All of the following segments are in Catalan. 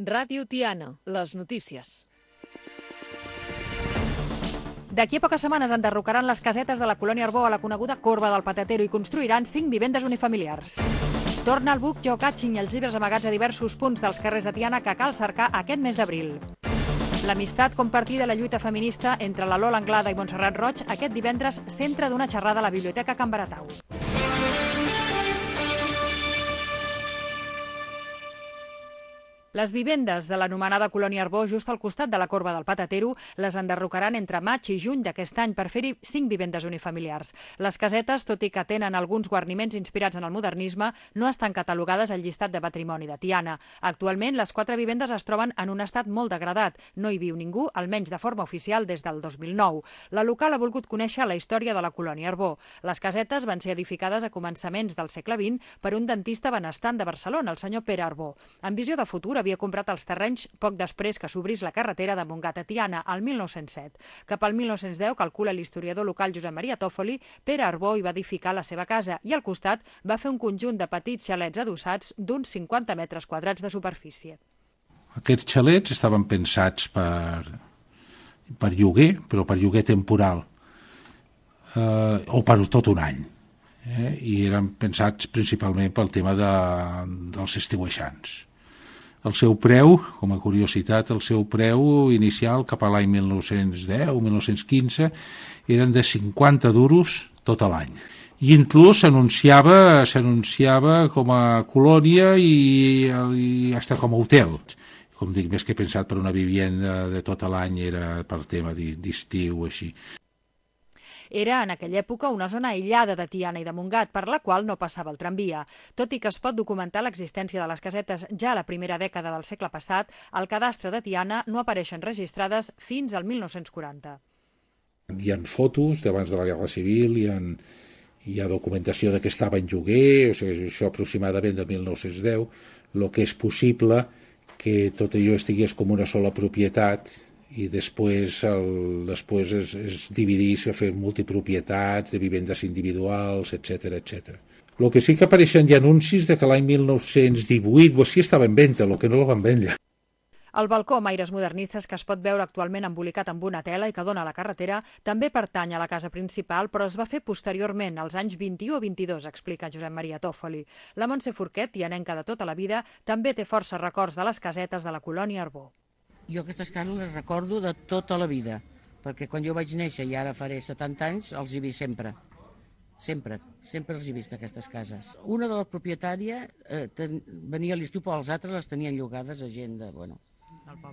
Ràdio Tiana, les notícies. D'aquí a poques setmanes enderrocaran les casetes de la colònia Arbó a la coneguda Corba del Patatero i construiran 5 vivendes unifamiliars. Torna el buc geocaching i els llibres amagats a diversos punts dels carrers de Tiana que cal cercar aquest mes d'abril. L'amistat compartida a la lluita feminista entre la Lola Anglada i Montserrat Roig aquest divendres centre d'una xerrada a la Biblioteca Can Baratau. Les vivendes de l'anomenada colònia Arbó, just al costat de la Corba del Patatero, les enderrocaran entre maig i juny d'aquest any per fer-hi 5 vivendes unifamiliars. Les casetes, tot i que tenen alguns guarniments inspirats en el modernisme, no estan catalogades al llistat de patrimoni de Tiana. Actualment, les 4 vivendes es troben en un estat molt degradat. No hi viu ningú, almenys de forma oficial, des del 2009. La local ha volgut conèixer la història de la colònia Arbó. Les casetes van ser edificades a començaments del segle XX per un dentista benestant de Barcelona, el senyor Pere Arbó. En visió de futur, havia comprat els terrenys poc després que s'obrís la carretera de Montgat a Tiana, al 1907. Cap al 1910, calcula l'historiador local Josep Maria Tòfoli, Pere Arbó hi va edificar la seva casa i al costat va fer un conjunt de petits xalets adossats d'uns 50 metres quadrats de superfície. Aquests xalets estaven pensats per lloguer, però per lloguer temporal, o per tot un any. I eren pensats principalment pel tema dels estiuejants. El seu preu, com a curiositat, el seu preu inicial cap a l'any 1910 o 1915 eren de 50 duros tot l'any. I inclús s'anunciava com a colònia i fins com a hotel. Com dic, més que pensat per una vivienda de tot l'any, era per tema d'estiu o així. Era en aquella època una zona aïllada de Tiana i de Montgat, per la qual no passava el tramvia. Tot i que es pot documentar l'existència de les casetes ja a la primera dècada del segle passat, al cadastre de Tiana no apareixen registrades fins al 1940. Hi ha fotos d'abans de la Guerra Civil, hi ha documentació de que estava en lloguer, o sigui, això aproximadament del 1910, el que és possible que tot allò estigués com una sola propietat i després es dividís a fer multipropietats de vivendes individuals, etc etc. El que sí que apareixen hi ha anuncis de que l'any 1918 o així estava en venda, el que no la van vendre. El balcó amb aires modernistes que es pot veure actualment embolicat amb una tela i que dona a la carretera també pertany a la casa principal, però es va fer posteriorment, als anys 21 o 22, explica Josep Maria Tòfoli. La Montse Forquet, tianenca de tota la vida, també té força records de les casetes de la colònia Arbó. Jo aquestes cases les recordo de tota la vida, perquè quan jo vaig néixer, i ara faré 70 anys, els hi he vist sempre. Sempre els he vist, aquestes cases. Una de les propietàries venia a l'estiu, però els altres les tenien llogades a gent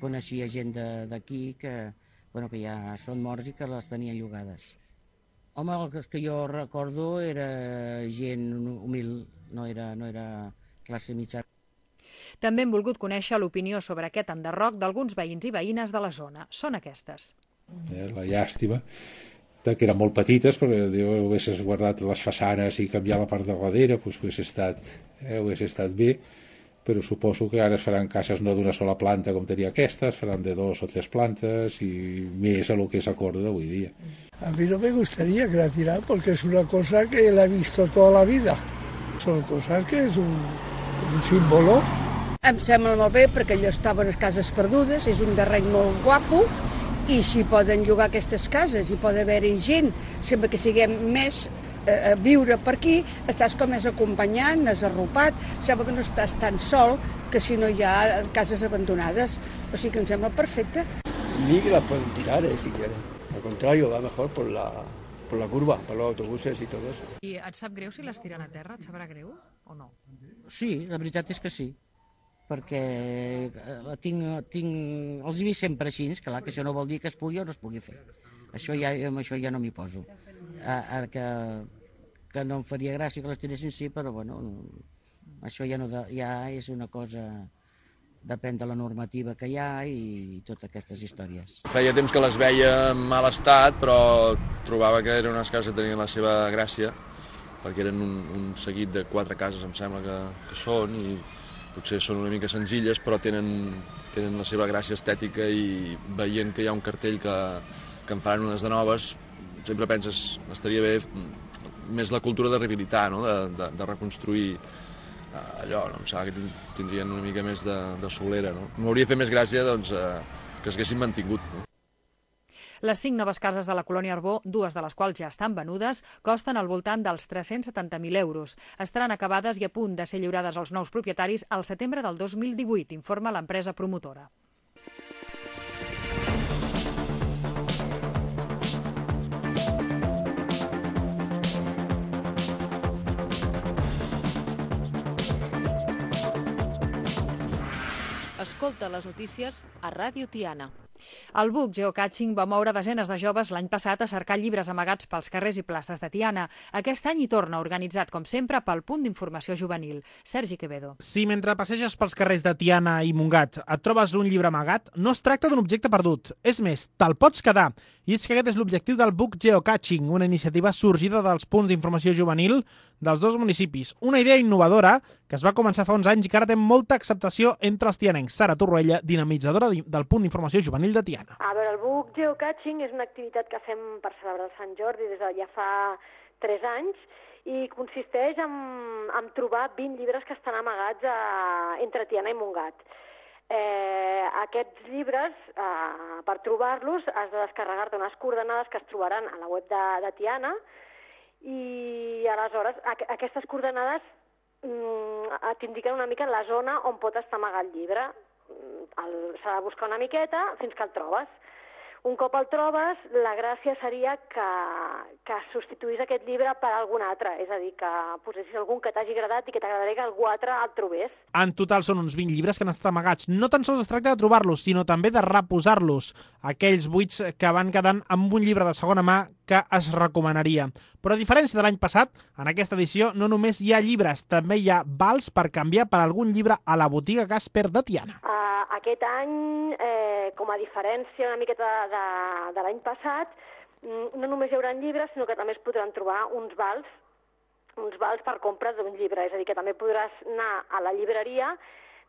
coneixia gent d'aquí que ja són morts i que les tenien llogades. Home, el que jo recordo era gent humil, no era classe mitjana. També hem volgut conèixer l'opinió sobre aquest enderroc d'alguns veïns i veïnes de la zona. Són aquestes. La llàstima, que eren molt petites, però ho haguessis guardat les façanes i canviar la part de darrere, doncs hagués estat bé, però suposo que ara es faran cases no d'una sola planta com tenia aquesta, es faran de 2 o 3 plantes i més a lo que s'acorda d'avui dia. A mí no me gustaría que la tiraran porque es una cosa que la he visto toda la vida. Son cosas que es un símbolo. Em sembla molt bé perquè allò estaven les cases perdudes, és un terreny molt guapo i si poden llogar aquestes cases i pot haver-hi gent, sempre que siguem més a viure per aquí, estàs com més acompanyat, més arropat, sembla que no estàs tan sol que si no hi ha cases abandonades, o sigui que em sembla perfecte. Ni que la pueden tirar, si quieren. Al contrario, va mejor por la curva, per los autobuses i tot això. I et sap greu si les tiren a terra? Et sabrà greu o no? Sí, la veritat és que sí, perquè els he vist sempre així, clar, que això no vol dir que es pugui o no es pugui fer. Amb això ja no m'hi poso. Ara que no em faria gràcia que les tiressin, sí, però bueno, això ja és una cosa, depèn de la normativa que hi ha i totes aquestes històries. Feia temps que les veia en mal estat, però trobava que eren unes cases que tenien la seva gràcia, perquè eren un seguit de 4 cases, em sembla que són, i potser són una mica senzilles, però tenen la seva gràcia estètica i veient que hi ha un cartell que en faran unes de noves, sempre penses, estaria bé més la cultura de rehabilitar, no? de reconstruir allò, no? Em sembla que tindrien una mica més de solera, no? M'hauria fet més gràcia, doncs, que s'haguessin mantingut, no? Les 5 noves cases de la colònia Arbó, 2 de les quals ja estan venudes, costen al voltant dels 370.000 euros. Estaran acabades i a punt de ser lliurades als nous propietaris al setembre del 2018, informa l'empresa promotora. Escolta les notícies a Ràdio Tiana. El buc geocaching va moure desenes de joves l'any passat a cercar llibres amagats pels carrers i places de Tiana. Aquest any hi torna, organitzat, com sempre, pel Punt d'Informació Juvenil. Sergi Quevedo. Si mentre passeges pels carrers de Tiana i Montgat et trobes un llibre amagat, no es tracta d'un objecte perdut. És més, te'l pots quedar. I és que aquest és l'objectiu del buc geocaching, una iniciativa sorgida dels punts d'informació juvenil dels 2 municipis. Una idea innovadora que es va començar fa uns anys i que ara té molta acceptació entre els tianencs. Sara Torroella, dinamitzadora del Punt d'Informació Juvenil de Tiana. A veure, el buc geocaching és una activitat que fem per celebrar el Sant Jordi des de ja fa 3 anys i consisteix en trobar 20 llibres que estan amagats entre Tiana i Montgat. Aquests llibres, per trobar-los, has de descarregar-te unes coordenades que es trobaran a la web de Tiana i aleshores aquestes coordenades t'indiquen una mica la zona on pot estar amagat el llibre. S'ha de buscar una miqueta fins que el trobes. Un cop el trobes, la gràcia seria que substituís aquest llibre per algun altre, és a dir, que posessis algun que t'hagi agradat i que t'agradaria que algú altre el trobés. En total són uns 20 llibres que han estat amagats. No tan sols es tracta de trobar-los, sinó també de reposar-los, aquells buits que van quedant amb un llibre de segona mà que es recomanaria. Però a diferència de l'any passat, en aquesta edició no només hi ha llibres, també hi ha vals per canviar per algun llibre a la botiga Casper de Tiana. Aquest any, com a diferència una miqueta de l'any passat, no només hi haurà llibres, sinó que també es podran trobar uns vals per compra d'un llibre. És a dir, que també podràs anar a la llibreria,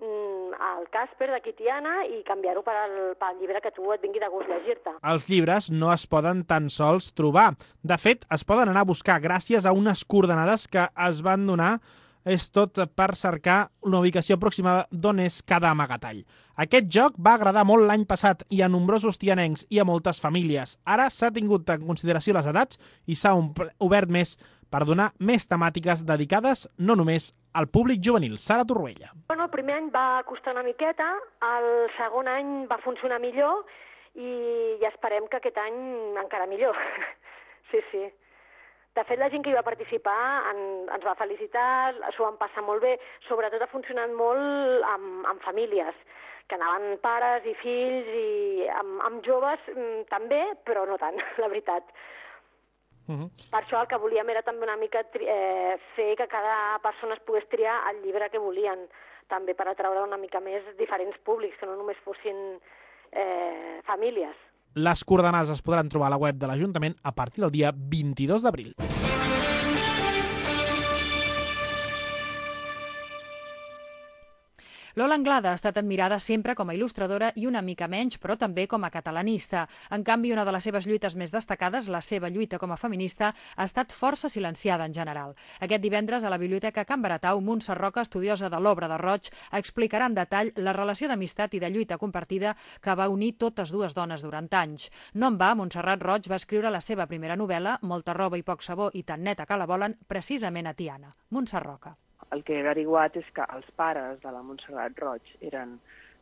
al Casper d'aquí Tiana, i canviar-ho pel llibre que tu et vingui de gust llegir-te. Els llibres no es poden tan sols trobar. De fet, es poden anar a buscar gràcies a unes coordenades que es van donar. És tot per cercar una ubicació aproximada d'on és cada amagatall. Aquest joc va agradar molt l'any passat i a nombrosos tianencs i a moltes famílies. Ara s'ha tingut en consideració les edats i s'ha obert més per donar més temàtiques dedicades no només al públic juvenil. Sara Torroella. El primer any va costar una miqueta, el segon any va funcionar millor i esperem que aquest any encara millor. Sí. De fet, la gent que hi va participar ens va felicitar, s'ho van passar molt bé, sobretot ha funcionat molt amb famílies, que anaven pares i fills, i amb joves també, però no tant, la veritat. Per això el que volíem era també una mica fer que cada persona es pogués triar el llibre que volien, també per atraure una mica més diferents públics, que no només fossin famílies. Les coordenades es podran trobar a la web de l'Ajuntament a partir del dia 22 d'abril. Lola Anglada ha estat admirada sempre com a il·lustradora i una mica menys, però també com a catalanista. En canvi, una de les seves lluites més destacades, la seva lluita com a feminista, ha estat força silenciada en general. Aquest divendres, a la Biblioteca Can Baratau, Montse Roca, estudiosa de l'obra de Roig, explicarà en detall la relació d'amistat i de lluita compartida que va unir totes dues dones durant anys. No en va, Montserrat Roig va escriure la seva primera novel·la, Molta roba i poc sabó i tan neta que la volen, precisament a Tiana. Montse Roca. El que he averiguat és que els pares de la Montserrat Roig eren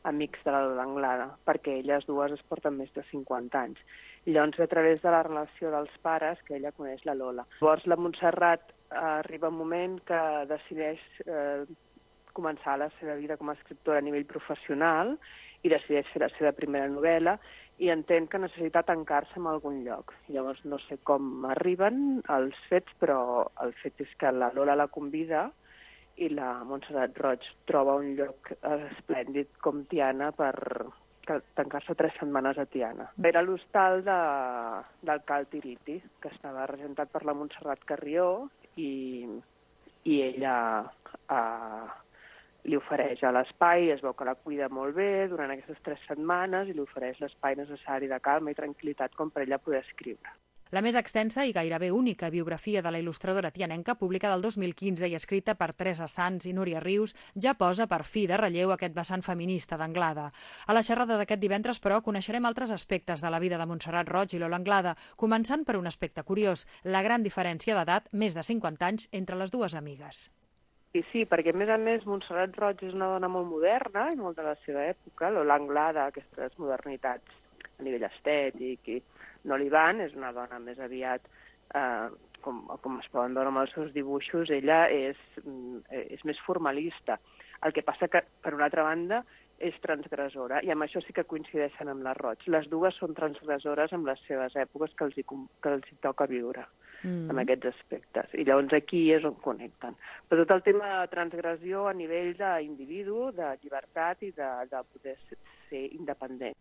amics de la Lola Anglada, perquè elles dues es porten més de 50 anys. I llavors, a través de la relació dels pares, que ella coneix la Lola. Llavors, la Montserrat arriba un moment que decideix començar la seva vida com a escriptora a nivell professional i decideix fer la seva primera novel·la i entén que necessita tancar-se en algun lloc. Llavors, no sé com arriben els fets, però el fet és que la Lola la convida i la Montserrat Roig troba un lloc esplèndid com Tiana per tancar-se 3 setmanes a Tiana. Era l'hostal del Cal Tiriti, que estava regentat per la Montserrat Carrió i ella li ofereix a l'espai, es veu que la cuida molt bé durant aquestes 3 setmanes i li ofereix l'espai necessari de calma i tranquil·litat com per ella poder escriure. La més extensa i gairebé única biografia de la il·lustradora tianenca, publicada el 2015 i escrita per Teresa Sans i Núria Rius, ja posa per fi de relleu aquest vessant feminista d'Anglada. A la xerrada d'aquest divendres, però, coneixerem altres aspectes de la vida de Montserrat Roig i Lola Anglada, començant per un aspecte curiós, la gran diferència d'edat, més de 50 anys, entre les dues amigues. Sí, perquè a més Montserrat Roig és una dona molt moderna i molt de la seva època. Lola Anglada, aquestes modernitats a nivell estètic i no li van, és una dona més aviat, com es poden veure amb els seus dibuixos, ella és més formalista. El que passa que, per una altra banda, és transgressora, i amb això sí que coincideixen amb la Roig. Les dues són transgressores amb les seves èpoques que els hi toca viure. En aquests aspectes. I llavors aquí és on connecten. Però tot el tema de transgressió a nivell d'individu, de llibertat i de poder ser independent.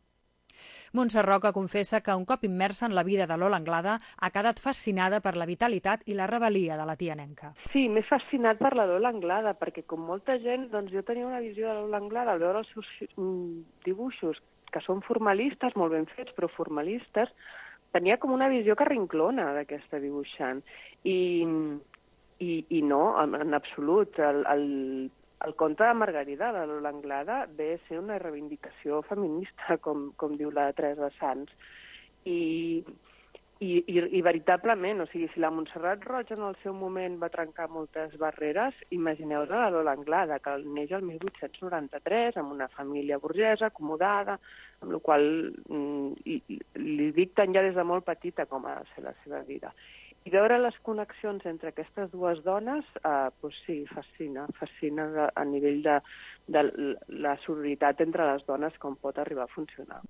Montse Roca confessa que un cop immersa en la vida de Lola Anglada ha quedat fascinada per la vitalitat i la rebel·lia de la tianenca. Sí, m'he fascinat per la Lola Anglada, perquè com molta gent, doncs jo tenia una visió de la Lola Anglada al veure els seus dibuixos, que són formalistes, molt ben fets, però formalistes, tenia com una visió carrinclona d'aquesta dibuixant. I no, en absolut. El conte de Margarida, de Lola Anglada, ve a ser una reivindicació feminista, com diu la Teresa Sans. I veritablement, o sigui, si la Montserrat Roig en el seu moment va trencar moltes barreres, imagineu-vos la Lola Anglada, que neix el 1893, amb una família burgesa, acomodada, amb la qual li dicten ja des de molt petita com ha de ser la seva vida. I veure les connexions entre aquestes dues dones, doncs sí, fascina a nivell de la sororitat entre les dones, com pot arribar a funcionar.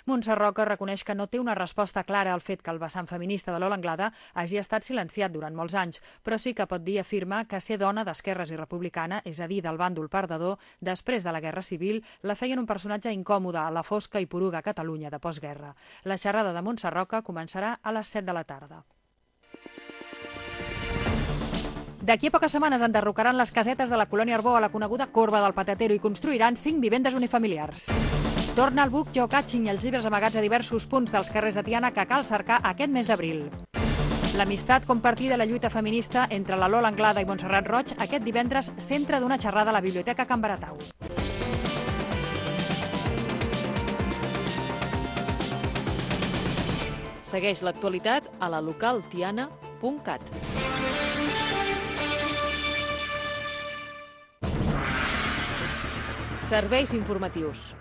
Montse Roca reconeix que no té una resposta clara al fet que el vessant feminista de Lola Anglada hagi estat silenciat durant molts anys, però sí que pot dir i afirma que ser dona d'esquerres i republicana, és a dir, del bàndol perdedor, després de la Guerra Civil, la feien un personatge incòmode a la fosca i poruga Catalunya de postguerra. La xerrada de Montse Roca començarà a les 7 de la tarda. D'aquí a poques setmanes enderrocaran les casetes de la colònia Arbó a la coneguda Corba del Patatero i construiran 5 vivendes unifamiliars. Torna el buc geocaching i els llibres amagats a diversos punts dels carrers de Tiana que cal cercar aquest mes d'abril. L'amistat compartida a la lluita feminista entre la Lola Anglada i Montserrat Roig aquest divendres centre d'una xerrada a la Biblioteca Can Baratau. Segueix l'actualitat a la localtiana.cat. Serveis informatius.